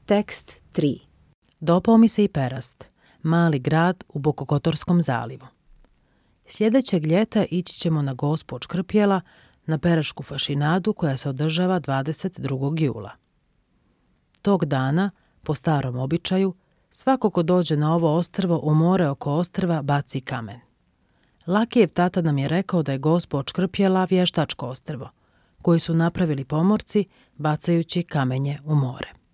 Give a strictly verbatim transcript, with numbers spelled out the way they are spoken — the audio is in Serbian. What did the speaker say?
Tekst tri. Dopao mi se i Perast, mali grad u Bokokotorskom zalivu. Sljedećeg ljeta ići ćemo na Gospu od Škrpjela, na Perašku fašinadu koja se održava dvadeset drugog jula. Tog dana, po starom običaju, svako ko dođe na ovo ostrvo u more oko ostrva baci kamen. Lakijev tata nam je rekao da je Gospa od Škrpjela vještačko ostrvo, koji su napravili pomorci bacajući kamenje u more.